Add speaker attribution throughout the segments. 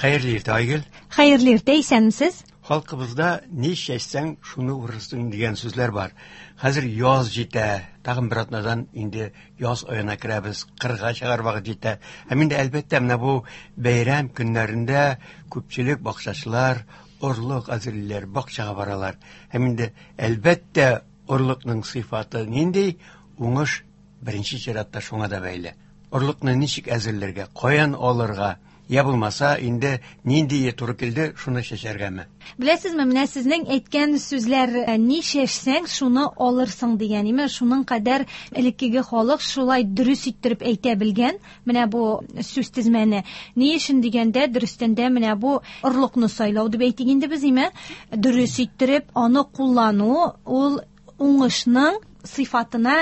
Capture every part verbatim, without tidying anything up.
Speaker 1: Хәерле иртә, Айгөл.
Speaker 2: Хәерле иртә, исәнмесез.
Speaker 1: Халкыбызда ни чәчсәң, шуны урырсың дигән сүзләр бар. Хәзер яз җитә, тагын бер атнадан инде яз аена керәбез, кырга чыгар вакыт җитә. Һәм инде әлбәттә менә бу бәйрәм көннәрендә күпчелек бакчачылар орлык әзерлиләр, бакчага баралар. Һәм инде әлбәттә орлыкның сыйфаты нинди, уңыш беренче чиратта шуңа да бәйле. Орлыкны ничек әзерләргә, каян алырга, я булмаса инде нинди туры килде, шуны чәчәргәме?
Speaker 2: Беләсезме, менә сезнең әйткән сүзләр ни чәчсәң, шуны алырсың дигән, име? Шуның кадәр элеккеге халык шулай дөрес иттереп әйтә белгән, менә бу сүз тезмәне. Ни өчен дигәндә, дөрестән дә менә бу орлыкны сайлау дип әйтик инде без, име? Дөрес иттереп аны куллану ул уңышның сыйфатына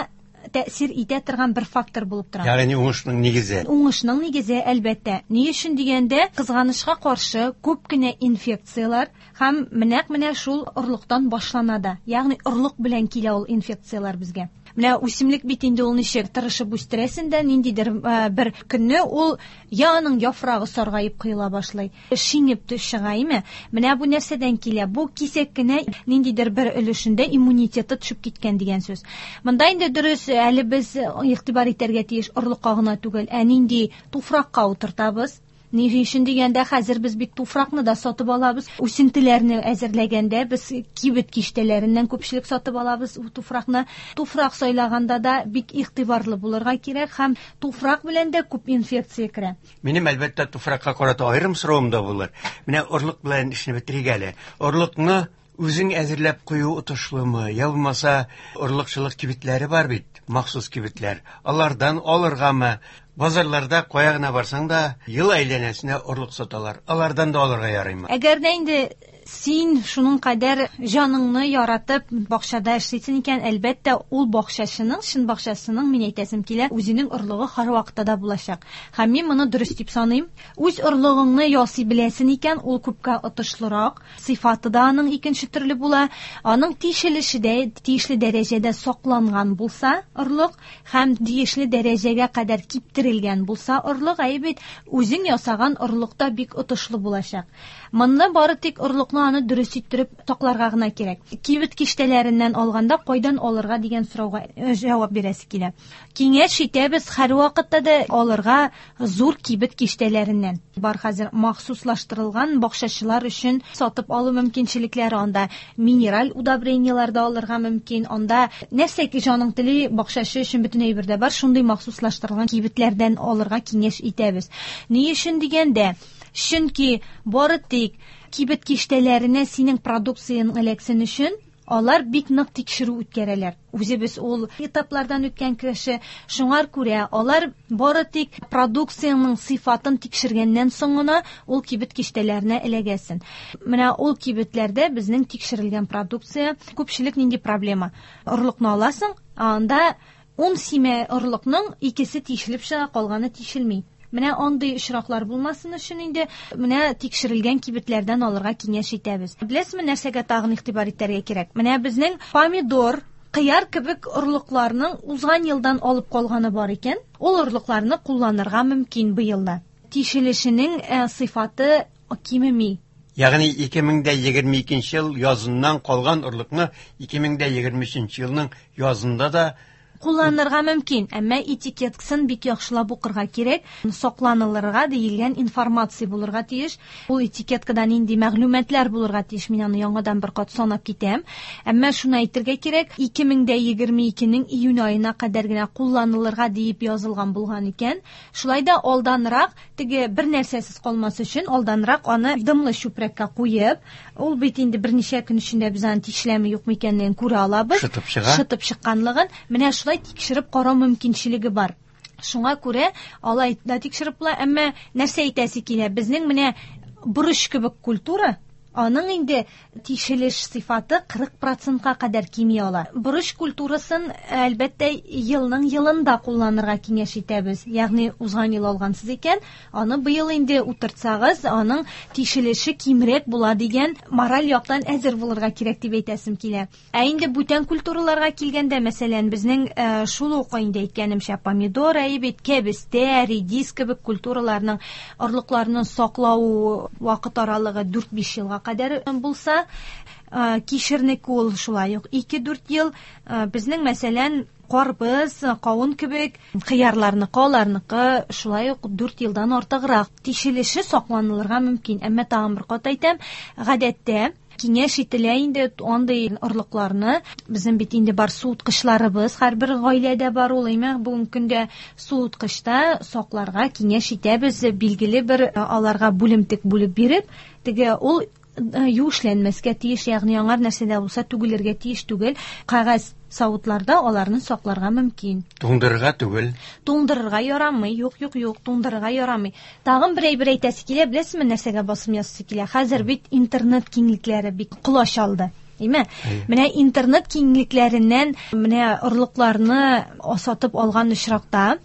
Speaker 2: тәэсир итә торган бер фактор булып тора.
Speaker 1: Ягъни уңышның нигезе.
Speaker 2: Уңышның нигезе, әлбәттә. Ни өчен дигәндә, кызганычка каршы күп кенә инфекцияләр һәм менәк менә шул орлыктан башлана да. Ягъни орлык белән килә ул инфекцияләр безгә. Менә үсемлек бит инде ул ничек тырышып үстерәсен дә, ниндидер бер көнне ул я аның яфрагы саргаеп коела башлый, шиңеп чыга, име? Менә бу нәрсәдән килә? Бу кисәк кенә ниндидер бер өлешендә иммунитеты төшеп киткән дигән сүз. Монда инде дөрес, әле без игътибар итәргә тиеш орлыкка гына түгел, ә нинди туфракка утыртабыз. Ни өчен дигәндә, хәзер без бит туфракны да сатып алабыз. Үсентеләрне әзерләгәндә без кибет киштәләреннән күпчелек сатып алабыз туфракны. Туфрак сайлаганда да бик игътибарлы булырга кирәк һәм туфрак белән дә күп инфекция керә.
Speaker 1: Минем әлбәттә туфракка карата аерым соравым да булыр. Менә орлык белән эшне бетерик әле. Орлыкны үзең әзерләп кую отышлымы? Я булмаса, орлыкчылык кибетләре бар бит, махсус кибетләр. Алардан алыргамы? Базарларда кая гына барсаң да, ел әйләнәсенә орлык саталар. Алардан да алырга ярыймы?
Speaker 2: Әгәр дә инде син шуның кадәр җаныңны яратып бакчада эшлисең икән, әлбәттә, ул бакчачының, чын бакчасының, мин әйтәсем килә, үзенең орлыгы һәрвакытта да булачак. Һәм мин моны дөрес дип саныйм. Үз орлыгыңны ясый беләсең икән, ул күпкә отышлырак, сыйфаты да аның икенче төрле була. Аның тишелеше дә тиешле дәрәҗәдә сакланган булса орлык һәм тиешле дәрәҗәгә кадәр киптерелгән булса орлык, әйе бит, үзең ясаган орлык та бик отышлы булачак. Монда бары тик орлыкны аны дөрес иттереп сакларга гына кирәк. Кибет киштәләреннән алганда кайдан алырга дигән сорауга җавап бирәсе килә. Киңәш итәбез һәрвакытта да алырга зур кибет киштәләреннән. Бар хәзер махсуслаштырылган бакчачылар өчен сатып алу мөмкинчелекләре, анда минераль удобрениеләр дә алырга мөмкин, анда нәрсә ки җаның тели бакчачы өчен бөтен әйбер дә бар, шундый махсуслаштырылган кибетләрдән алырга киңәш итәбез. Ни өчен дигәндә, чөнки бары тик кибет киштәләренә синең продукцияң эләксен өчен алар бик нык тикшерү үткәрәләр. Үзебез ул этаплардан үткән кеше, шуңар күрә алар бары тик продукцияның сыйфатын тикшергәннән соң гына ул кибет киштәләренә эләгәсен. Менә ул кибетләрдә безнең тикшерелгән продукция, күпчелек нинди проблема? Орлыкны аласың, анда ун симә орлыкның икесе тишелеп чыга, калганы тишелми. Менә андый очраклар булмасын өчен инде менә тикшерелгән кибетләрдән алырга киңәш итәбез. Беләсезме, нәрсәгә тагын игътибар итәргә кирәк? Менә безнең помидор, кыяр кебек орлыкларның узган елдан алып калганы бар икән, ул орлыкларны кулланырга мөмкин быел да. Тишелешенең сыйфаты кимеми.
Speaker 1: Ягъни ике мең дә егерме икенче ел языннан калган орлыкны ике мең дә егерме өченче елның язында да
Speaker 2: кулланырга мөмкин, әмма этикеткасын бик яхшылап укырга кирәк, сакланылырга диелгән информация булырга тиеш. Ул этикеткада нинди мәгълүматлар булырга тиеш, мин аны яңадан бер кат санап китәм. Әмма шуны әйтергә кирәк, ике мең дә егерме икенең июнь аена кадәр генә кулланылырга диеп язылган булган икән. Шулай да алданрак, теге бер нәрсәсез калмас өчен, алданрак аны дымлы чүпрәккә куеп, ул бит инде берничә көн эчендә без аны тишеләме юкмы икәнлеген күрә алабыз.
Speaker 1: Шытып чыга.
Speaker 2: Шытып чыкканлыгын. Менә шулай тикшереп карау мөмкинчелеге бар. Шуңа күрә алай да тикшереп була, әмма нәрсә әйтәсе килә? Безнең менә борыч кебек культура, Аның инде тишелеш сыйфаты кырык процентка кадәр кими ала. Борыч культурасын, әлбәттә, елның елында кулланырга киңәш итәбез. Ягъни узган ел алгансыз икән, аны быел инде утыртсагыз, аның тишелеше кимрәк була дигән мораль яктан әзер булырга кирәк дип әйтәсем килә. Ә инде бүтән культураларга килгәндә, мәсәлән, безнең шул ук инде әйткәнемчә помидор, әйбит, кәбестә, редис кебек культураларның орлыкларының саклау вакыт аралыгы дүрт-биш елга кадәр булса, кишернеке ул шулай ук ике-дүрт ел. Безнең, мәсәлән, карбыз, кавын кебек кыярларныкы, аларныкы шулай ук дүрт елдан артыграк тишелеше сакланылырга мөмкин. Әмма тагын бер кат әйтәм, гадәттә киңәш ителә инде андый орлыкларны. Безнең бит инде бар суыткычларыбыз, һәрбер гаиләдә бар ул, әмма бүгенге көндә суыткычта сакларга киңәш итәбез, билгеле бер аларга бүлемтек бүлеп биреп, теге ул юешләнмәскә тиеш, ягъни аңар нәрсә дә булса түгелергә тиеш түгел. Кәгазь савытларда аларны сакларга мөмкин.
Speaker 1: Туңдырырга түгел.
Speaker 2: Туңдырырга ярамый. Юк, юк, юк, туңдырырга ярамый. Тагын бер әйбер әйтәсе килә, беләсезме, нәрсәгә басым ясасы килә? Хәзер бит интернет киңлекләре бик колач алды. Әйме? Менә интернет киңлекләреннән менә орлыкларны сатып алган очракта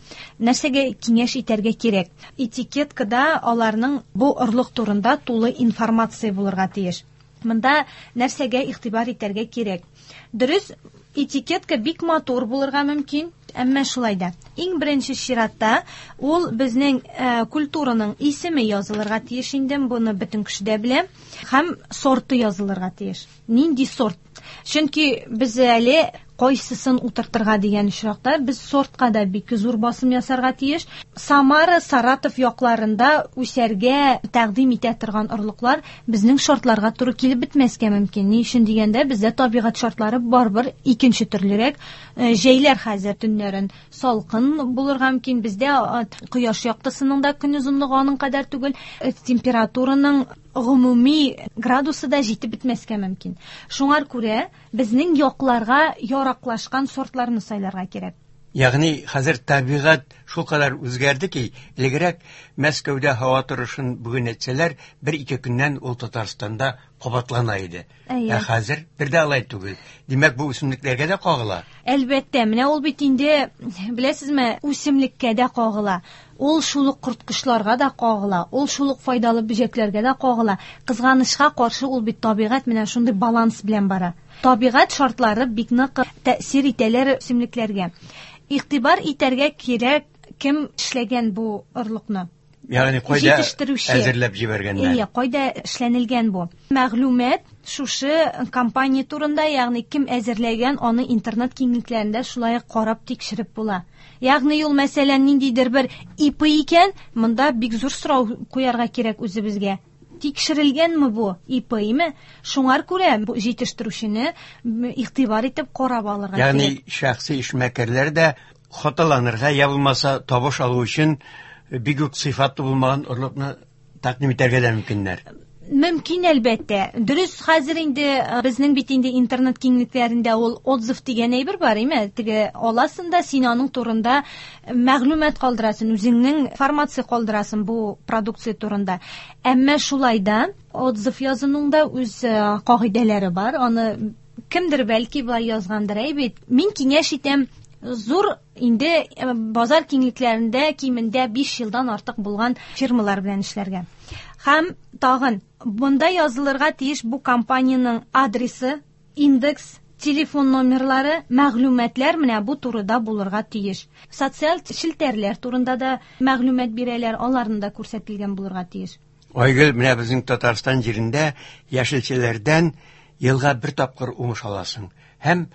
Speaker 2: нәрсәгә киңәш итәргә кирәк? Этикеткада аларның бу орлык турында тулы информация булырга тиеш. Монда нәрсәгә игътибар итәргә кирәк? Дөрес, этикетка бик матур булырга мөмкин, әмма шулай да. Иң беренче чиратта ул безнең э, культураның исеме язылырга тиеш инде, буны бөтен кеше дә белә, һәм сорты язылырга тиеш. Нинди сорт? Чөнки без әле кайсысын утыртырга дигән очракта без сортка да бик зур басым ясарга тиеш. Самара, Саратов якларында үсәргә тәкъдим итә торган орлыклар безнең шартларга туры килеп бетмәскә мөмкин. Ни өчен дигәндә, бездә табигать шартлары барыбер икенче төрлерәк. Җәйләр хәзер төннәрен салкын булырга мөмкин. Бездә кояш яктысының да көн озынлыгы аның кадәр түгел, температураның гомуми градусы да җитеп бетмәскә мөмкин. Шуңар күрә безнең якларга яраклашкан сортларны сайларга кирәк.
Speaker 1: Ягъни хәзер табигать шулкадәр үзгәрде ки, элегрәк Мәскәүдә һава торышын бүген әйтсәләр, бер-ике көннән ул Татарстанда кабатлана иде. Ә хәзер бер дә алай түгел. Димәк, бу үсемлекләргә дә кагыла.
Speaker 2: Әлбәттә, менә ул бит инде, беләсезме, үсемлеккә дә кагыла. Ул шул ук корткычларга да кагыла, ул шул ук файдалы бөҗәкләргә дә кагыла. Кызганычка каршы ул бит табигать менә шундый баланс белән бара. Табигать шартлары бик нык тәэсир итәләр үсемлекләргә. Игътибар итәргә кирәк, кем эшләгән бу орлыкны?
Speaker 1: Ягъни кайда әзерләп җибәргәннәр?
Speaker 2: Әйе, кайда эшләнелгән бу? Мәгълүмат шушы компания турында, ягъни кем әзерләгән, аны интернет киңлекләрендә шулай карап тикшереп була. Ягъни ул, мәсәлән, ниндидер бер И П икән, монда бик зур сорау куярга кирәк үзебезгә. Тикшерелгәнме бу И П-ме? Шуңар күрә бу җитештерүчене игътибар итеп карап алырга кирәк.
Speaker 1: Ягъни шәхси эшмәкәрләр дә хаталанырга я булмаса табыш алу өчен бик үк сыйфатлы булмаган орлыкны тәкъдим итәргә дә мөмкиннәр.
Speaker 2: Мөмкин, әлбәттә. Дөрес, хәзер инде безнең бит инде интернет киңлекләрендә ул отзыв дигән әйбер бар, әйме? Теге аласың да син аның турында мәгълүмат калдырасың, үзеңнең информация калдырасың бу продукция турында. Әмма шулай да отзыв язуның да үз кагыйдәләре бар. Аны кемдер бәлки былай язгандыр, әй бит. Мин киңәш итәм, зур инде базар киңлекләрендә кимендә биш елдан артык булган фирмалар белән эшләргә. Һәм тагын монда язылырга тиеш бу компаниянең адресы, индекс, телефон номерлары, мәгълүматлар менә бу турыда булырга тиеш. Социаль челтәрләр турында да мәгълүмат бирәләр, аларны да күрсәтелгән булырга тиеш.
Speaker 1: Айгөл, менә безнең Татарстан җирендә яшелчәләрдән елга бер тапкыр уңыш аласың. Һәм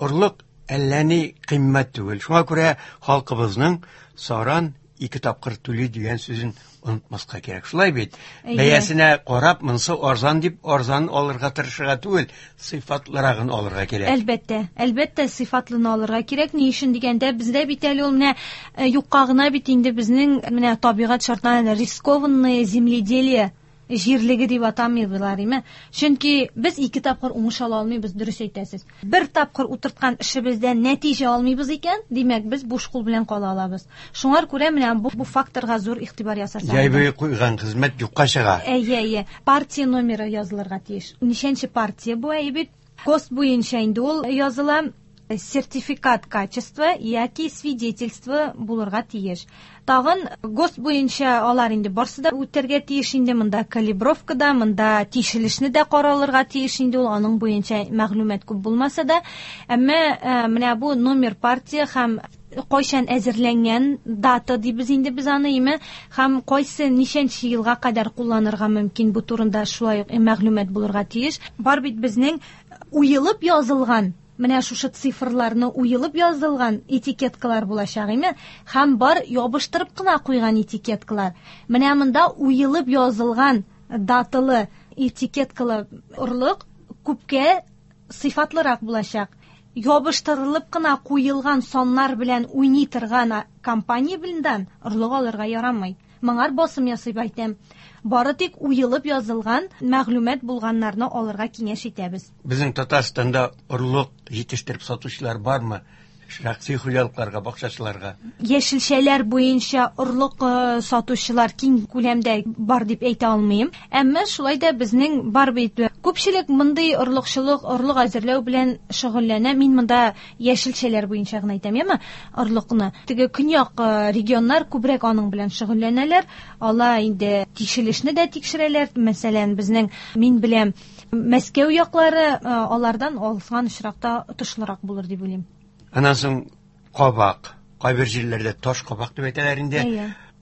Speaker 1: орлык әллә ни кыйммәт түгел. Шуңа күрә халкыбызның саран ике тапкыр түли дигән сүзен онытмаска кирәк. Шулай бит. Бәясенә карап, монсы арзан дип арзан алырга тырышырга түгел, сыйфатлырагын алырга кирәк.
Speaker 2: Әлбәттә, әлбәттә сыйфатлыны алырга кирәк. Ни өчен дигәндә, бездә бит әле ул менә юкка гына бит инде безнең менә табигать шартларында рискованное земледелие Җирлеге дип атамыйлар име? Чөнки без ике тапкыр уңыш ала алмыйбыз, дөрес әйтәсез. Бер тапкыр утырткан эшебездән нәтиҗә алмыйбыз икән, димәк, без буш кул белән кала алабыз. Шуңар күрә менә бу, бу факторга зур игътибар ясасак.
Speaker 1: Җәй буе куйган хезмәт юкка чыга.
Speaker 2: Әйе, әйе. Партия номеры язылырга тиеш. Ничәнче партия бу, әйе бит? ГОСТ буенча инде ул языла. Сертификат качества яки свидетельство булырга тиеш. Тагын ГОСТ буенча алар инде барсы да үтәргә тиеш инде, монда калибровка да, монда тишелешне дә каралырга тиеш инде ул, аның буенча мәгълүмат күп булмаса да, әмма менә бу номер партия һәм кайчан әзерләнгән дата дибез инде без аны, име, һәм кайсы ничәнче елга кадәр кулланырга мөмкин, бу турында шулай ук мәгълүмат булырга тиеш. Бар бит безнең уелып язылган, менә шушы цифрларны уелып язылган этикеткалар булачак, име? Һәм бар ябыштырып кына куйган этикеткалар. Менә монда уелып язылган даталы этикеткалы орлык күпкә сыйфатлырак булачак. Ябыштырылып кына куелган саннар белән уйный торган компания белән орлык алырга ярамый. Моңар басым ясап әйтәм. Бары тик уелып язылган мәгълүмат булганнарны алырга киңәш итәбез.
Speaker 1: Безнең Татарстанда орлык җитештереп сатучылар бармы? Шәхси хуҗалыкларга, бакчачыларга?
Speaker 2: Яшелчәләр буенча орлык сатучылар киң күләмдә бар дип әйтә алмыйм. Әмма шулай да безнең бар бит. Күпчелек мондый орлыкчылык, орлык әзерләү белән шөгыльләнә. Мин монда яшелчәләр буенча гына әйтәм, яме орлыкны. Теге көньяк регионнар күбрәк аның белән шөгыльләнәләр. Алар инде тикшерелешне дә тикшерәләр. Мәсәлән, безнең, мин беләм, Мәскәү яклары алардан алган очракта отышлырак булыр дип уйлыйм.
Speaker 1: Аннан соң кабак, кайбер җирләрдә таш кабак дип әйтәләр инде.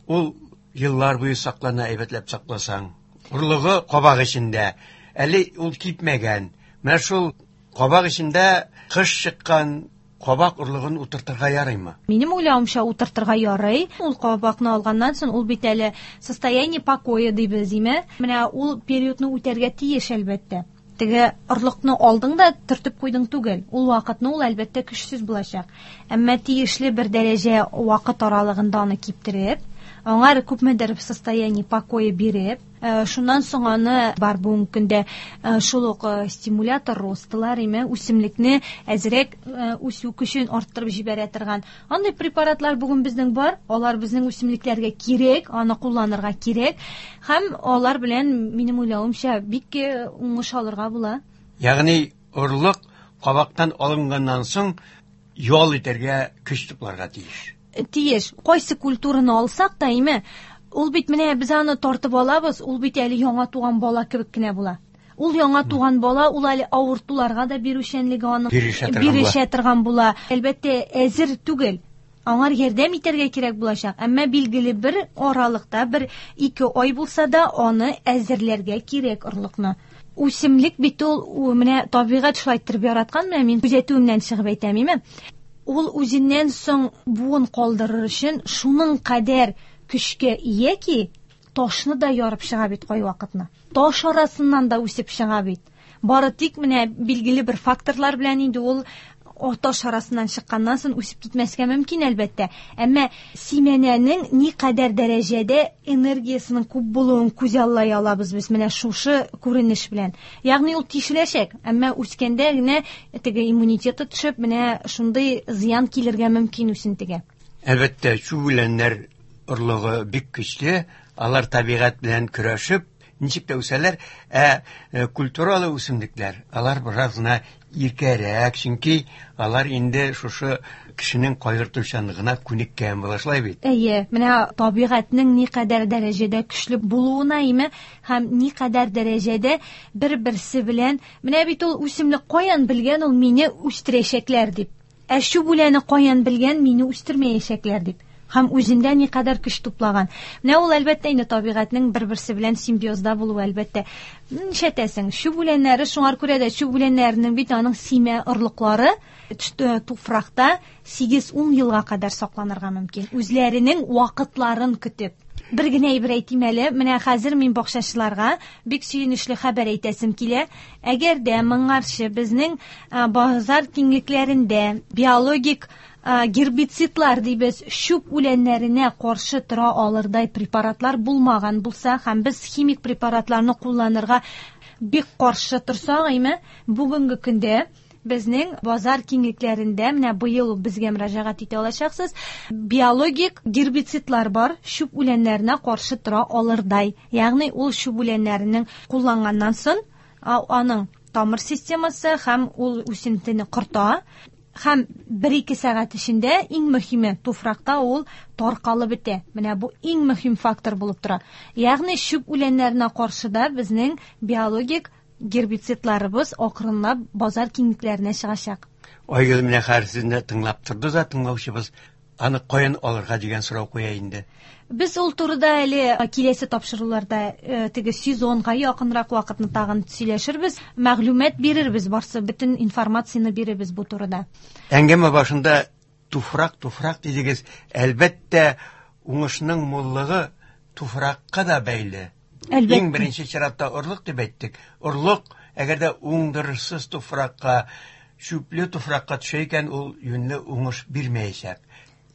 Speaker 1: Ул еллар буе саклана, әйбәтләп сакласаң. Орлыгы кабак эчендә, әле ул кипмәгән. Менә шул кабак эчендә кыш чыккан кабак орлыгын утыртырга ярыймы?
Speaker 2: Минем уйлавымча, утыртырга ярый. Ул кабакны алганнан соң ул бит әле состояние покоя дибез, име? Менә ул периодны үтәргә тиеш әлбәттә. Теге орлыкны алдың да төртеп куйдың түгел. Ул вакытны ул әлбәттә көчсез булачак. Әмма тиешле бер дәрәҗә вакыт аралыгында аны киптереп, аңар күпмедер состояние покоя биреп, шуннан соң аны бар бүгенге көндә шул ук стимулятор ростылар, име, үсемлекне әзрәк үсү көчен арттырып җибәрә торган андый препаратлар бүген безнең бар. Алар безнең үсемлекләргә кирәк, аны кулланырга кирәк һәм алар белән, минем уйлавымча, бик уңыш алырга була.
Speaker 1: Ягъни орлык кабактан алынганнан соң ял итәргә, көч тупларга тиеш.
Speaker 2: Тиеш. Кайсы культураны алсак та, име, ул бит менә без аны тартып алабыз, ул бит әле яңа туган бала кебек кенә була. Ул яңа туган бала, ул әле авыртуларга да бирүчәнлеге аның бирешә торган була. Әлбәттә, әзер түгел. Аңар ярдәм итәргә кирәк булачак. Әмма билгеле бер аралыкта, бер ике ай булса да, аны әзерләргә кирәк орлыкны. Үсемлек бит ул, менә табигать шулай иттереп яраткан, менә мин күзәтүемнән чыгып әйтәм, име? Ул үзеннән соң буын калдырыр өчен шуның кадәр көчкә ия ки, ташны да ярып чыга бит кайвакытны. Таш арасыннан да үсеп чыга бит. Бары тик менә билгеле бер факторлар белән инде ул таш арасыннан чыкканнан соң үсеп китмәскә мөмкин әлбәттә. Әмма симәнәнең ни кадәр дәрәҗәдә энергиясының күп булуын күзаллай алабыз без менә шушы күренеш белән. Ягъни ул тишеләчәк, әмма үскәндә генә теге иммунитеты төшеп, менә шундый зыян килергә мөмкин үсентегә.
Speaker 1: Әлбәттә, чүп үләннәр орлыгы бик көчле, алар табигать белән көрәшеп ничек тә үсәләр, ә культуралы үсемлекләр, алар бераз гына иркәрәк, чөнки алар инде шушы кешенең кайгыртучанлыгына күнеккән була, шулай бит?
Speaker 2: Әйе, менә табигатьнең никадәр дәрәҗәдә көчле булуына, име, һәм никадәр дәрәҗәдә бер-берсе белән, менә бит ул үсемлек каян белгән ул мине үстерәчәкләр дип. Ә чүп үләне каян белгән мине үстермәячәкләр дип. Һәм үзендә никадәр көч туплаган. Менә ул әлбәттә инде табигатьнең бер-берсе белән симбиозда булуы әлбәттә. Нишләтәсең? Чүп үләннәре, шуңар күрә дә чүп үләннәренең бит аның симә орлыклары туфракта сигез-ун елга кадәр сакланырга мөмкин. Үзләренең вакытларын көтеп. Бер генә әйбер әйтим әле. Менә хәзер мин бакчачыларга бик сөенечле хәбәр әйтәсем килә. Әгәр дә моңарчы безнең базар киңлекләрендә биологик гербицидлар дибез, чүп үләннәренә каршы тора алырдай препаратлар булмаган булса һәм без химик препаратларны кулланырга бик каршы торсак, әйме, бүгенге көндә безнең базар киңлекләрендә менә быел безгә мөрәҗәгать итә алачаксыз, биологик гербицидлар бар, чүп үләннәренә каршы тора алырдай. Ягъни ул чүп үләннәренең кулланганнан соң аның тамыр системасы һәм ул үсентене корта. Һәм бер-ике сәгать эчендә иң мөһиме туфракта ул таркалып бетә. Менә бу иң мөһим фактор булып тора. Ягъни чүп үләннәренә каршы да безнең биологик гербицидларыбыз акрынлап базар киңлекләренә чыгачак.
Speaker 1: Айгөл, менә хәзер сезне тыңлап торды да тыңлаучыбыз, аны каян алырга дигән сорау куя инде.
Speaker 2: Без ул турыда әле киләсе тапшыруларда теге сезонга якынрак вакытны тагын сөйләшербез, мәгълүмат бирербез, барсы бөтен информацияне бирербез бу турыда.
Speaker 1: Әңгәмә башында туфрак, туфрак дидегез. Әлбәттә, уңышның муллыгы туфракка да бәйле.
Speaker 2: Әлбәттә.
Speaker 1: Иң беренче чиратта орлык дип әйттек. Орлык, әгәр дә уңдырышсыз туфракка, чүпле туфракка төшә икән, ул юньле уңыш бирмәячәк.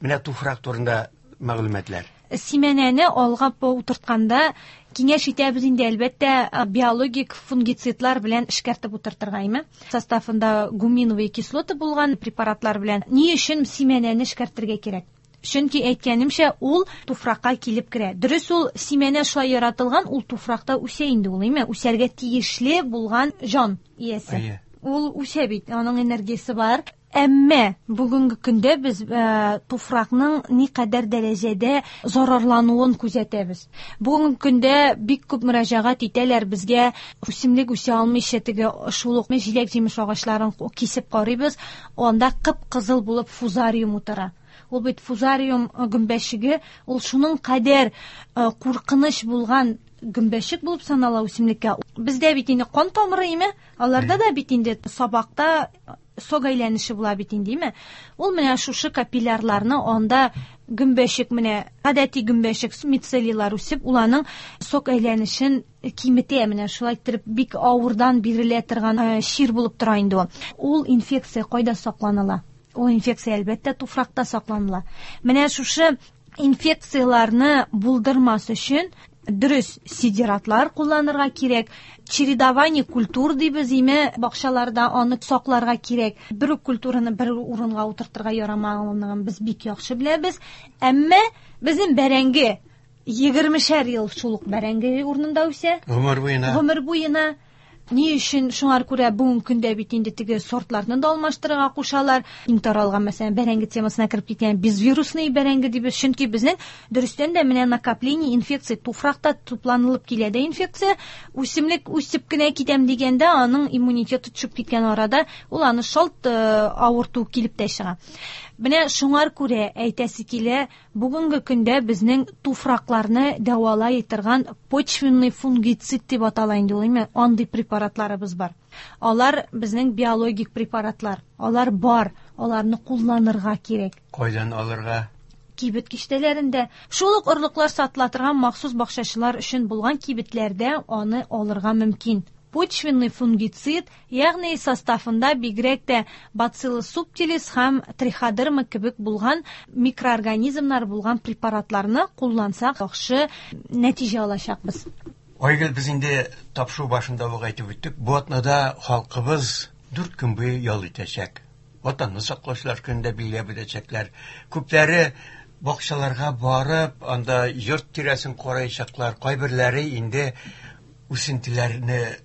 Speaker 1: Менә туфрак турында мәгълүматлар.
Speaker 2: Симәнәне алга утыртканда киңәш итәбез инде, әлбәттә, биологик фунгицидлар белән эшкәртеп утыртырга, әйме? Составында гуминовые кислоты булган препаратлар белән. Ни өчен симәнәне эшкәртергә кирәк? Чөнки әйткәнемчә, ул туфракка килеп керә. Дөрес, ул симәнә шулай яратылган, ул туфракта үсә инде ул, әйме? Үсәргә тиешле булган җан иясе.
Speaker 1: Әйе.
Speaker 2: Ул үсә бит, аның энергиясе бар. Әмма бүгенге көндә без э, туфракның никадәр дәрәҗәдә зарарлануын күзәтәбез. Бүгенге көндә бик күп мөрәҗәгать итәләр безгә, үсемлек үсә алмыйча теге шул ук җиләк-җимеш агачларын кисеп карыйбыз, анда кып-кызыл булып фузариум утыра. Ул бит фузариум гөмбәчеге, ул шуның кадәр э, куркыныч булган гөмбәчек булып санала үсемлеккә. Бездә бит инде кан тамыры име, аларда да бит инде сабакта сок әйләнеше була бит инде, име? Ул менә шушы капиллярларны анда гөмбәчек, менә гадәти гөмбәчек мицелийлар үсеп, ул аның сок әйләнешен киметә, менә шулай итеп бик авырдан бирелә торган чир булып тора инде ул. Ул инфекция кайда сакланыла? Ул инфекция әлбәттә туфракта сакланыла. Менә шушы инфекцияләрне булдырмас өчен дөрес сидератлар кулланырга кирәк. Чередование культур дибез, име, бакчаларда аны сакларга кирәк. Бер үк культураны бер урынга утыртырга ярамаганлыгын без бик яхшы беләбез. Әмма безнең бәрәңге егермешәр ел шул ук бәрәңге урынында үсә.
Speaker 1: Гомер буена.
Speaker 2: Гомер буена. Ни өчен шуңар күрә бүгенге көндә бит инде теге сортларны да алмаштырырга кушалар. Иң таралган, мәсәлән, бәрәңге темасына кереп киткән безвирусный бәрәңге дибез, чөнки безнең дөрестән дә менә накопление инфекция туфракта тупланылып килә дә инфекция, үсемлек үсеп кенә китәм дигәндә аның иммунитеты төшеп киткән арада ул аны шалт авырту килеп тә чыга. Менә шуңар күрә әйтәсе килә, бүгенге көндә безнең туфракларны дәвалай торган почвенный фунгицид дип атала инде ул, әйме, андый препаратларыбыз бар. Алар безнең биологик препаратлар. Алар бар, аларны кулланырга кирәк.
Speaker 1: Кайдан алырга?
Speaker 2: Кибет киштәләрендә. Шул ук орлыклар сатыла торган махсус бакчачылар өчен булган кибетләрдә аны алырга мөмкин. Почвенный фунгицид, ягъни составында бигрәк тә бациллус субтилис һәм триходерма кебек булган микроорганизмнар булган препаратларны куллансак, яхшы нәтиҗә алачакбыз.
Speaker 1: Айгөл, без инде тапшыру башында ук әйтеп үттек, бу атнада халкыбыз дүрт көн буе ял итәчәк. Ватанны саклаучылар көнендә билгеләп үтәчәкләр. Күпләре бакчаларга барып, анда йорт тирәсен караячаклар, кайберләре инде үсентеләрне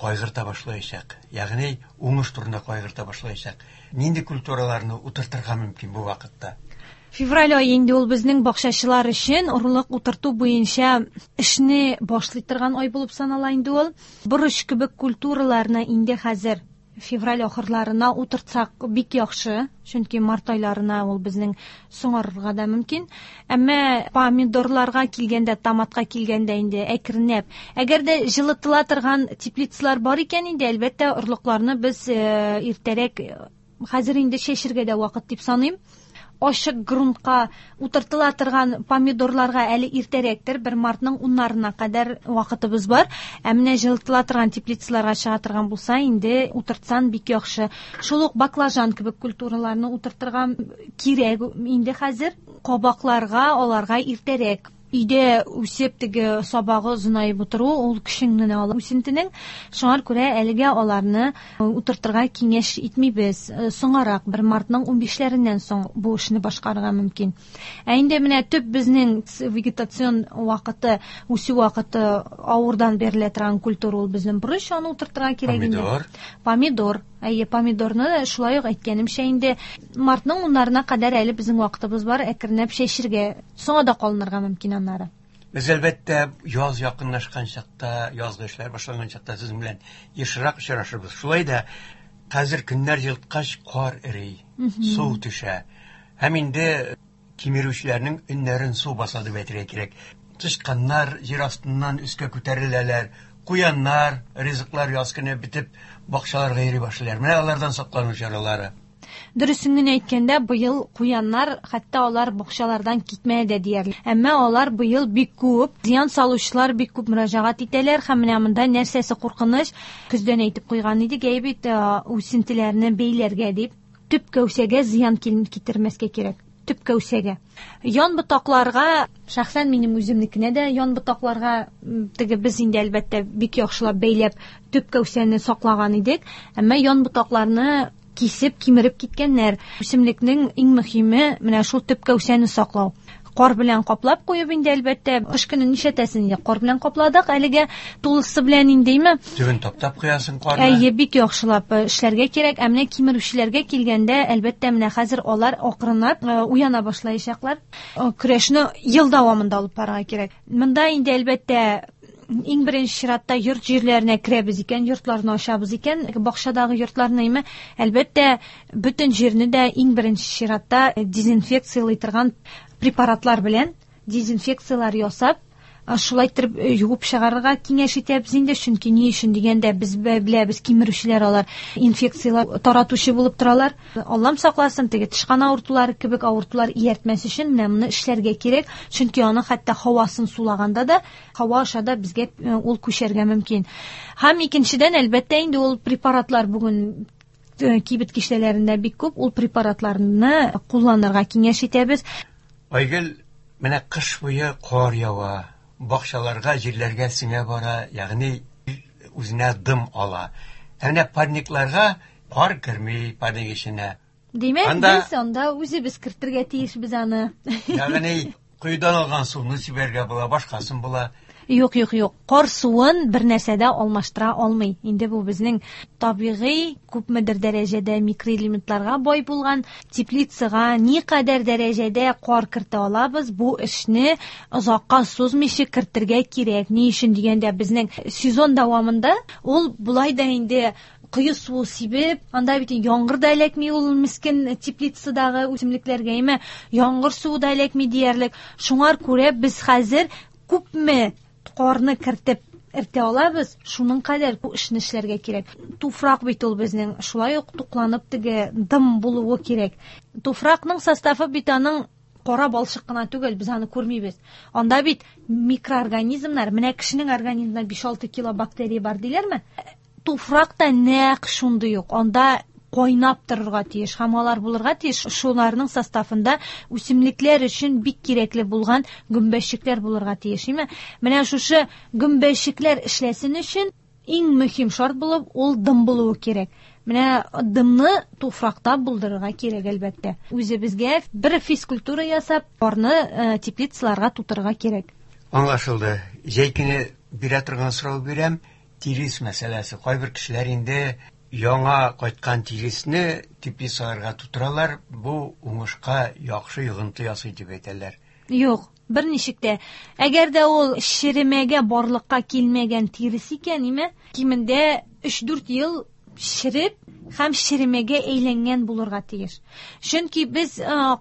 Speaker 1: кайгырта башлаячак. Ягъни уңыш турында кайгырта башлаячак. Нинди культураларны утыртырга мөмкин бу вакытта?
Speaker 2: Февраль ае инде ул безнең бакчачылар өчен орлык утырту буенча эшне башлый торган ай булып санала инде ул. Борыч кебек культураларны инде хәзер февраль ахырларына утыртсак бик яхшы, чөнки март айларына ул безнең соңарырга да мөмкин. Әмма помидорларга килгәндә, томатка килгәндә инде әкренләп, әгәр дә җылытыла торган теплицалар бар икән инде, әлбәттә, орлыкларны без иртәрәк, хәзер инде чәчергә дә вакыт дип саныйм. Ачык грунтка утыртыла торган помидорларга әле иртәрәктер, бер мартның уннарына кадәр вакытыбыз бар. Ә менә җылытыла торган теплицаларга чыга торган булса, инде утыртсан бик яхшы. Шул ук баклажан кебек культураларны утыртырга кирәк инде хәзер. Кабакларга аларга иртәрәк. Өйдә үсеп теге сабагы озынаеп утыру, ул көчеңне ала үсентенең. Шуңа күрә әлегә аларны утыртырга киңәш итмибез. Соңарак, бер мартның унбишләреннән соң бу эшне башкарырга мөмкин. Ә инде менә төп безнең вегетацион вакыты, үсү вакыты авырдан берилә торган культура ул безнең борыч, аны утыртырга кирәк инде.
Speaker 1: Помидор.
Speaker 2: Помидор. Әйе, помидорны шулай ук әйткәнемчә инде мартның уннарына кадәр әле безнең вакытыбыз бар, әкренләп чәчергә, соңа да калынырга мөмкин аннары.
Speaker 1: Без әлбәттә яз якынлашкан чакта, язгы эшләр башланган чакта сезнең белән ешрак очрашырбыз. Шулай да хәзер көннәр җылыткач кар эри, су төшә. Һәм инде кимерүчеләрнең өннәрен су баса дип әйтергә кирәк. Тычканнар җир астыннан өскә күтәреләләр, куяннар, ризыклар яз көне бетеп бакчаларга йөри башлыйлар. Менә алардан саклану чаралары.
Speaker 2: Дөресен генә әйткәндә, быел куяннар хәтта алар бакчалардан китмәде дә диярлек. Әмма алар быел бик күп, зыян салучылар бик күп мөрәҗәгать итәләр һәм менә монда нәрсәсе куркыныч, көздән әйтеп куйган идек, әй бит, үсентеләрне бәйләргә дип, төп кәүсәгә зыян китермәскә кирәк. Төп кәүсәгә. Ян ботакларга, шәхсән минем үземнекенә дә ян ботакларга теге без инде әлбәттә бик яхшылап бәйләп төп кәүсәне саклаган идек, әмма ян ботакларны кисеп, кимереп киткәннәр. Үсемлекнең иң мөһиме менә шул төп кәүсәне саклау. Кар белән каплап куеп инде әлбәттә, кыш көне нишләтәсең инде, кар белән капладык, әлегә тулысы белән индеме?
Speaker 1: Төбен таптап куясың карны.
Speaker 2: Әйе, бик яхшылап эшләргә кирәк. Ә менә кимерүчеләргә килгәндә, әлбәттә, менә хәзер алар акрынлап уяна башлаячаклар. Көрәшне ел дәвамында алып барырга кирәк. Монда инде әлбәттә иң беренче чиратта йорт җирләренә керәбез икән, йортларны ачабыз икән, бакчадагы йортларны име, әлбәттә, бөтен җирне дә иң беренче чиратта дезинфекциялый торган препаратлар белән дезинфекциялар ясап, шулай итеп юып чыгарырга киңәш итәбез инде, чөнки ни өчен дигәндә без беләбез, кимерүчеләр алар инфекциялар таратучы булып торалар. Аллам сакласын, теге тычкан авыртулары кебек авыртулар ияртмәс өчен менә моны эшләргә кирәк, чөнки аның хәтта һавасын сулаганда да, һава аша да безгә ул күчәргә мөмкин. Һәм икенчедән, әлбәттә, инде ул препаратлар бүген кибет киштәләрендә бик күп, ул препаратларны кулланырга киңәш итәбез.
Speaker 1: Айгөл, менә кыш буе кар ява, бакчаларга, җирләргә сеңә бара, ягъни үзенә дым ала. Ә менә парникларга кар керми парник эченә.
Speaker 2: Димәк, без анда үзебез кертергә тиешбез аны.
Speaker 1: Ягъни коедан алган суны сибәргә була, башкасын була.
Speaker 2: Юк, юк, юк. Кар суын бер нәрсә дә алмаштыра алмый. Инде бу безнең табигый күпмедер дәрәҗәдә микроэлементларга бай булган теплицага никадәр дәрәҗәдә кар кертә алабыз, бу эшне озакка сузмыйча кертергә кирәк. Ни өчен дигәндә, безнең сезон дәвамында ул болай да инде кое суы сибеп, анда бит яңгыр да эләкми ул мискен теплицадагы үсемлекләргә, әмма яңгыр суы да эләкми диярлек. Шуңар күрә без хәзер күпме карны кертеп эртә алабыз, шуның кадәр бу эшне эшләргә кирәк. Туфрак бит ул безнең шулай ук тукланып теге дым булуы кирәк. Туфракның составы бит аның кара балчык кына түгел, без аны күрмибез. Анда бит микроорганизмнар, менә кешенең организмында биш-алты кило бактерия бар диләрме? Туфракта нәкъ шундый юк. Анда кайнап торырга тиеш һәм алар булырга тиеш. Шуларның составында үсемлекләр өчен бик кирәкле булган гөмбәчекләр булырга тиеш, әйме? Менә шушы гөмбәчекләр эшләсен өчен иң мөһим шарт булып ул дым булуы кирәк. Менә дымны туфракта булдырырга кирәк әлбәттә. Үзебезгә бер физкультура ясап, карны теплицаларга тутырырга кирәк.
Speaker 1: Аңлашылды. Җәй көне бирә торган сорау бирәм. Тирес мәсьәләсе. Кайбер кешеләр инде яңа кайткан тиресне теплицаларга тутыралар, бу уңышка яхшы йогынты ясый дип әйтәләр.
Speaker 2: Юк, берничек тә. Әгәр дә ул шеремәгә барлыкка килмәгән тирес икән, име, кимендә өч-дүрт ел шереп һәм шеремәгә әйләнгән булырга тиеш. Чөнки без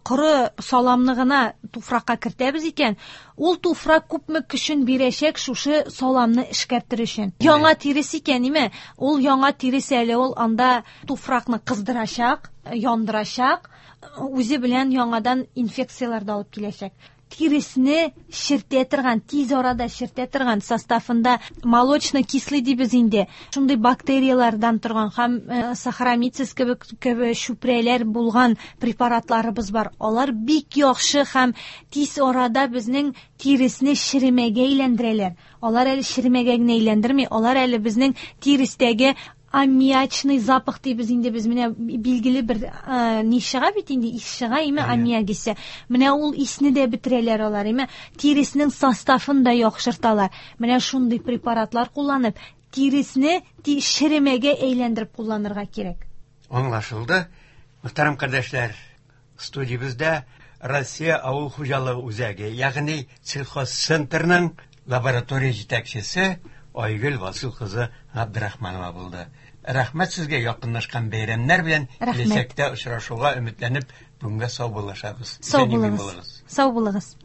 Speaker 2: коры саламны гына туфракка кертәбез икән, ул туфрак күпме көчен бирәчәк шушы саламны эшкәртер өчен. Яңа тирес икән, име, ул яңа тирес әле ул анда туфракны кыздырачак, яндырачак, үзе белән яңадан инфекцияләр дә алып киләчәк. Тиресне чиртә торган, тиз арада чиртә торган, составында молочно-кислый дибез инде. Шундый бактерияләрдән торган һәм сахаромицис кебек кебек чүпрәләр булган препаратларыбыз бар. Алар бик яхшы һәм тиз арада безнең тиресне шеремәгә әйләндерәләр. Алар әле шеремәгә генә әйләндерми, алар әле безнең тирестәге аммиачный запах дибез инде без, менә билгеле бер ни чыга бит инде, ис чыга име, аммиак исе. Менә ул исне дә бетерәләр алар, име, тиреснең составын да яхшырталар. Менә шундый препаратлар кулланып, тиресне шеремәгә әйләндереп кулланырга кирәк.
Speaker 1: Аңлашылды. Мөхтәрәм кардәшләр, студиябездә Россия авыл хуҗалыгы үзәге, ягъни сельхозцентрның лаборатория җитәкчесе Айгөл Васил кызы Габдрахманова булды. Рәхмәт сезгә, якынлашкан бәйрәмнәр белән киләчәктә очрашуга өметләнеп, бүгенгә сау булышабыз.
Speaker 2: Сау булыгыз. Сау булыгыз.